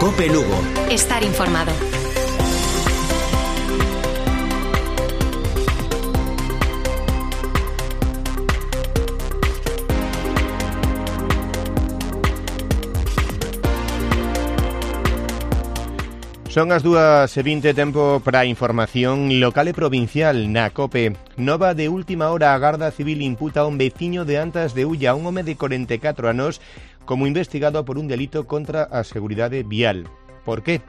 COPE Lugo. Estar informado. Son as 2:20, tempo para a información local e provincial na COPE. Nova de última hora, a Garda Civil imputa a un veciño de Antas de Ulla, un home de 44 anos, como investigado por un delito contra a seguridade vial. Por qué?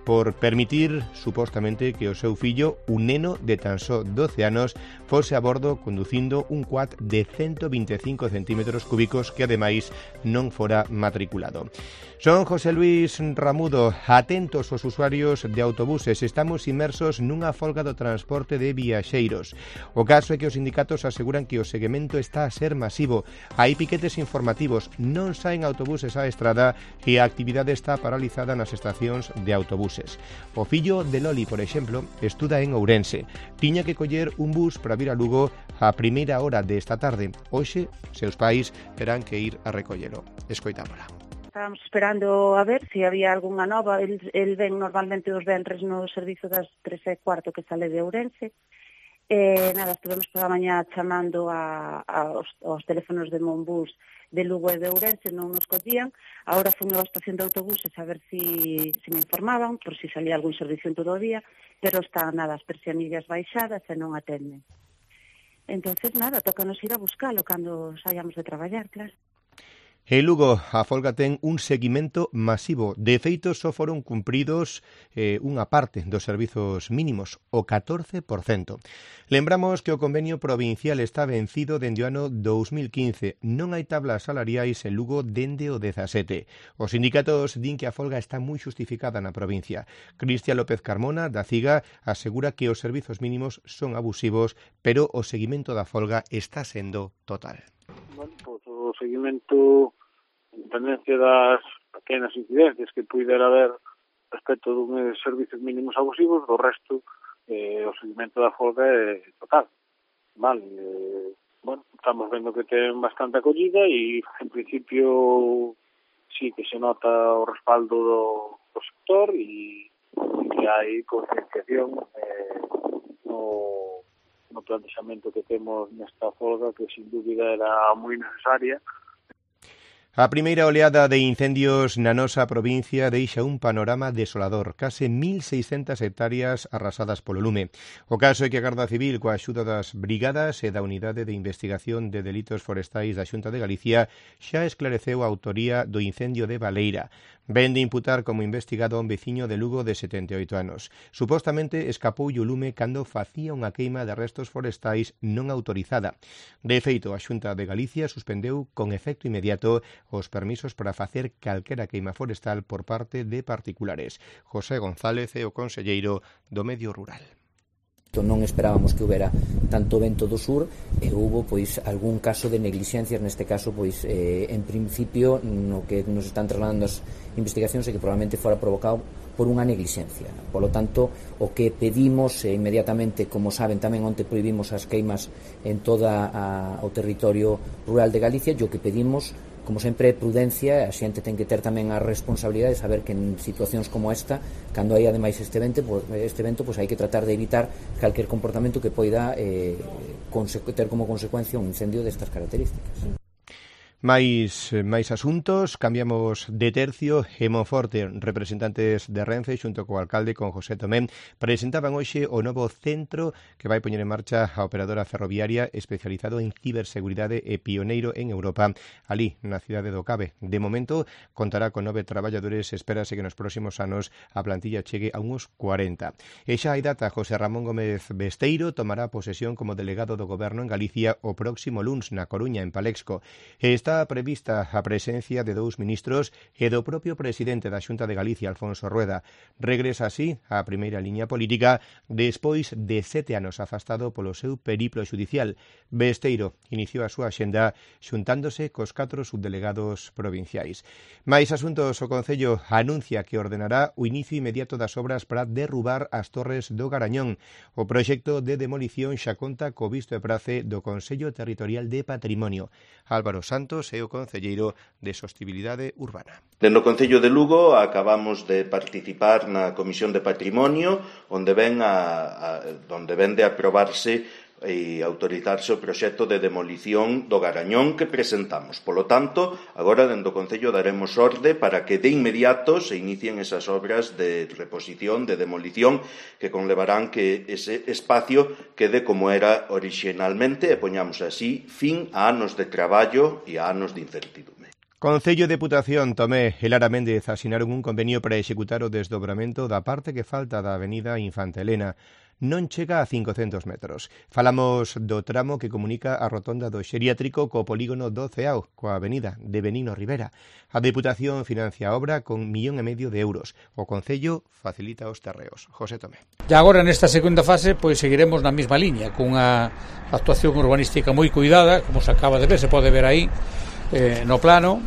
Por permitir, supostamente, que o seu fillo, un neno de tan só 12 anos, fose a bordo conducindo un quad de 125 centímetros cúbicos que, ademais, non fora matriculado. Son José Luis Ramudo. Atentos os usuarios de autobuses. Estamos inmersos nunha folga do transporte de viaxeiros. O caso é que os sindicatos aseguran que o seguimento está a ser masivo. Hai piquetes informativos, non saen autobuses á estrada e a actividade está paralizada nas estacións de autobuses. O fillo de Loli, por exemplo, estuda en Ourense. Tiña que coller un bus para vir a Lugo a primeira hora desta tarde. Hoxe, seus pais terán que ir a recollelo. Escoitámola. Estábamos esperando a ver se había algunha nova. El ven normalmente os venres no servizo das 3:15 que sale de Ourense. Nada, estivemos toda a mañá chamando aos teléfonos de Monbús de Lugo e de Ourense, non nos collían. Agora fui á estación de autobuses a ver se me informaban, por si salía algún servicio en todo o día, pero están nada, as persianillas baixadas e non atenden. Entonces, nada, tócanos ir a buscalo cando saíamos de traballar, claro. En Lugo, a folga ten un seguimento masivo. De feito, só foron cumpridos unha parte dos servizos mínimos, o 14%. Lembramos que o convenio provincial está vencido dende o ano 2015. Non hai tablas salariais en Lugo dende o 17. Os sindicatos din que a folga está moi justificada na provincia. Cristian López Carmona, da CIGA, asegura que os servizos mínimos son abusivos, pero o seguimento da folga está sendo total. Bueno, pois o seguimento, en tendencia das pequenas incidencias que puidera haber respecto dun servicios mínimos abusivos, do resto o seguimento da folga é total. Vale, bueno, estamos vendo que ten bastante acollida e, en principio, sí que se nota o respaldo do sector e que hai concienciación no plantexamento que temos nesta folga, que sin dúbida era moi necesaria. A primeira oleada de incendios na nosa provincia deixa un panorama desolador, case 1.600 hectáreas arrasadas polo lume. O caso é que a Garda Civil, coa axuda das brigadas e da Unidade de Investigación de Delitos Forestais da Xunta de Galicia, xa esclareceu a autoría do incendio de Baleira. Ven de imputar como investigado a un veciño de Lugo de 78 anos. Supostamente escapoulle o lume cando facía unha queima de restos forestais non autorizada. De feito, a Xunta de Galicia suspendeu con efecto inmediato os permisos para facer calquera queima forestal por parte de particulares. José González é o conselleiro do Medio Rural. Non esperábamos que houbera tanto vento do sur e houbo pois algún caso de neglixencias, neste caso pois en principio no que nos están trasladando as investigacións é que probablemente fora provocado por unha neglixencia. Por lo tanto, o que pedimos inmediatamente, como saben, tamén onte prohibimos as queimas en toda o territorio rural de Galicia, e o que pedimos, como sempre, prudencia. A xente ten que ter tamén a responsabilidade de saber que en situacións como esta, cando hai ademais este vento, pois hai que tratar de evitar calquer comportamento que poida ter como consecuencia un incendio destas características. Mais asuntos, cambiamos de tercio. En Monforte, representantes de Renfe xunto co alcalde, con José Tomé, presentaban hoxe o novo centro que vai poñer en marcha a operadora ferroviaria, especializado en ciberseguridade e pioneiro en Europa, ali na cidade do Cabe. De momento, contará con 9 traballadores. Espérase que nos próximos anos a plantilla chegue a uns 40. E xa hai data. José Ramón Gómez Besteiro tomará posesión como delegado do Goberno en Galicia o próximo luns na Coruña, en Palexco. Está prevista a presencia de 2 ministros e do propio presidente da Xunta de Galicia, Alfonso Rueda. Regresa así á primeira liña política despois de 7 anos afastado polo seu periplo xudicial. Besteiro iniciou a súa axenda xuntándose cos 4 subdelegados provinciais. Mais asuntos, o Concello anuncia que ordenará o inicio inmediato das obras para derrubar as torres do Garañón. O proxecto de demolición xa conta co visto e prace do Consello Territorial de Patrimonio. Álvaro Santos Santos e o concelleiro de Sostibilidade Urbana. Dentro do Concello de Lugo acabamos de participar na Comisión de Patrimonio, onde ven de aprobarse e autorizarse o proxecto de demolición do Garañón que presentamos. Polo tanto, agora dentro do Concello daremos orde para que de inmediato se inicien esas obras de reposición, de demolición, que conlevarán que ese espacio quede como era originalmente e poñamos así fin a anos de traballo e a anos de incertidume. Concello de Deputación, Tomé e Lara Méndez asinaron un convenio para executar o desdobramento da parte que falta da avenida Infanta Elena. Non chega a 500 metros. Falamos do tramo que comunica a rotonda do Xeriátrico co polígono do Ceao, coa avenida de Benigno Rivera. A Deputación financia a obra con 1,5 millón de euros. O Concello facilita os terreos. José Tomé. E agora nesta segunda fase pois seguiremos na mesma liña, con a actuación urbanística moi cuidada, como se acaba de ver, se pode ver aí no plano,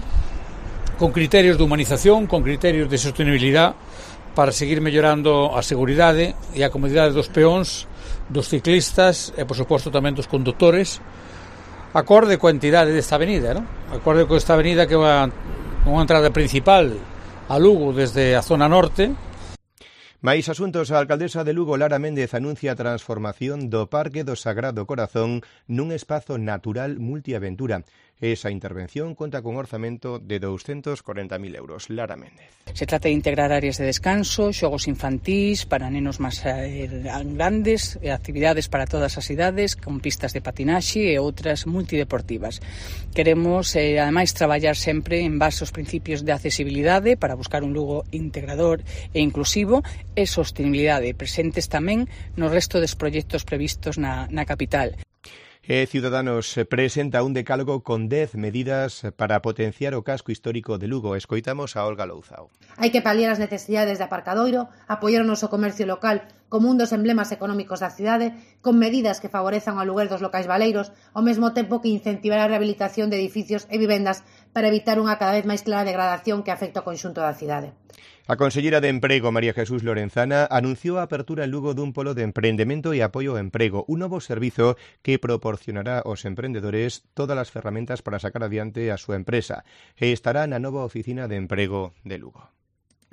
con criterios de humanización, con criterios de sostenibilidade, para seguir mellorando a seguridade e a comodidade dos peóns, dos ciclistas e, por suposto, tamén dos condutores, acorde coa entidade desta avenida, non? Acorde coa esta avenida que é unha entrada principal a Lugo desde a zona norte. Mais asuntos, a alcaldesa de Lugo, Lara Méndez, anuncia a transformación do Parque do Sagrado Corazón nun espazo natural multiaventura. Esa intervención conta con orzamento de 240.000 euros. Lara Méndez. Se trata de integrar áreas de descanso, xogos infantís para nenos máis grandes, actividades para todas as idades, con pistas de patinaxe e outras multideportivas. Queremos, ademais, traballar sempre en base aos principios de accesibilidade para buscar un Lugo integrador e inclusivo e sostenibilidade presentes tamén no resto dos proxectos previstos na capital. Ciudadanos presenta un decálogo con 10 medidas para potenciar o casco histórico de Lugo. Escoitamos a Olga Louzao. Hai que paliar as necesidades de aparcadoiro, apoiar o noso comercio local como un dos emblemas económicos da cidade, con medidas que favorezan o aluguer dos locais baleiros, ao mesmo tempo que incentivar a rehabilitación de edificios e vivendas para evitar unha cada vez máis clara degradación que afecta ao conxunto da cidade. A conselleira de Emprego, María Jesús Lorenzana, anunciou a apertura en Lugo dun polo de emprendemento e apoio ao emprego, un novo servizo que proporcionará aos emprendedores todas as ferramentas para sacar adiante a súa empresa e estará na nova oficina de emprego de Lugo.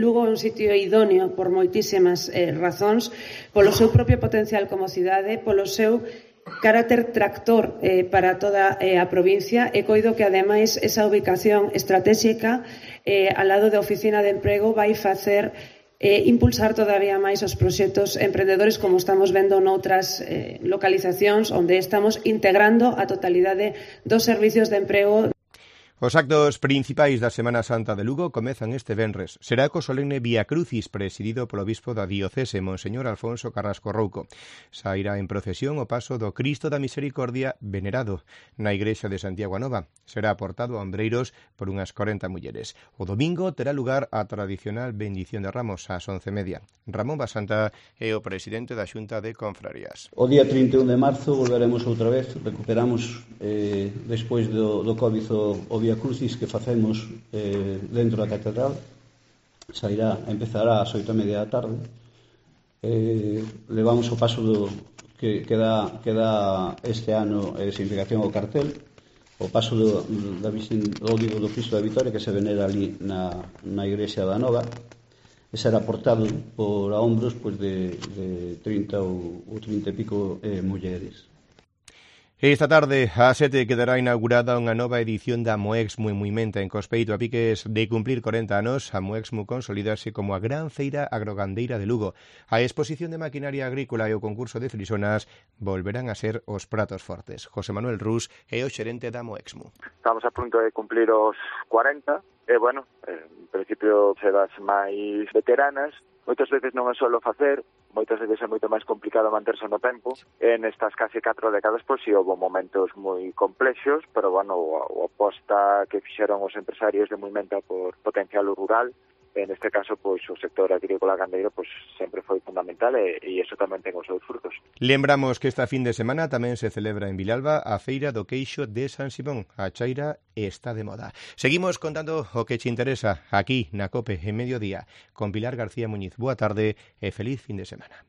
Lugo é un sitio idóneo por moitísimas razóns, polo seu propio potencial como cidade, polo seu carácter tractor para toda a provincia e coido que ademais esa ubicación estratégica ao lado da oficina de emprego vai facer impulsar todavía máis os proxectos emprendedores como estamos vendo noutras localizacións onde estamos integrando a totalidade dos servicios de emprego. Os actos principais da Semana Santa de Lugo comezan este venres. Será co solemne Vía Crucis presidido polo bispo da diocese, Monseñor Alfonso Carrasco Rouco. Sairá en procesión o paso do Cristo da Misericordia venerado na igrexa de Santiago a Nova. Será aportado a ombreiros por unhas 40 mulleres. O domingo terá lugar a tradicional bendición de Ramos ás 11:30. Ramón Basanta é o presidente da Xunta de Confrarías. O día 31 de marzo volveremos outra vez, recuperamos despois do Covid o Vía Crucis que facemos dentro da catedral. Empezará ás 8:30 da tarde. Levamos o paso que dá este ano significación ao cartel, o paso do Cristo da Vitoria que se venera ali na igrexa da Nova. E será portado por a hombros de 30 ou 30 e pico mulleres. Esta tarde, a 7, quedará inaugurada unha nova edición da Moexmu en Muimenta, en Cospeito. A piques de cumplir 40 anos, a Moexmu consolidase como a gran feira agrogandeira de Lugo. A exposición de maquinaria agrícola e o concurso de frisonas volverán a ser os pratos fortes. José Manuel Rus é o xerente da Moexmu. Estamos a punto de cumplir os 40, e, bueno, en principio se das máis veteranas. Moitas veces non é solo facer, moitas veces é moito máis complicado manterse no tempo. En estas casi 4 décadas, pois, si houve momentos moi complexos, pero, bueno, a aposta que fixeron os empresarios de Muimenta por potencial rural, en este caso, pois, o sector agrícola gandeiro, pois, sempre foi fundamental e iso tamén ten os seus frutos. Lembramos que esta fin de semana tamén se celebra en Vilalba a Feira do Queixo de San Simón. A chaira está de moda. Seguimos contando o que te interesa aquí na COPE en Mediodía con Pilar García Muñiz. Boa tarde e feliz fin de semana.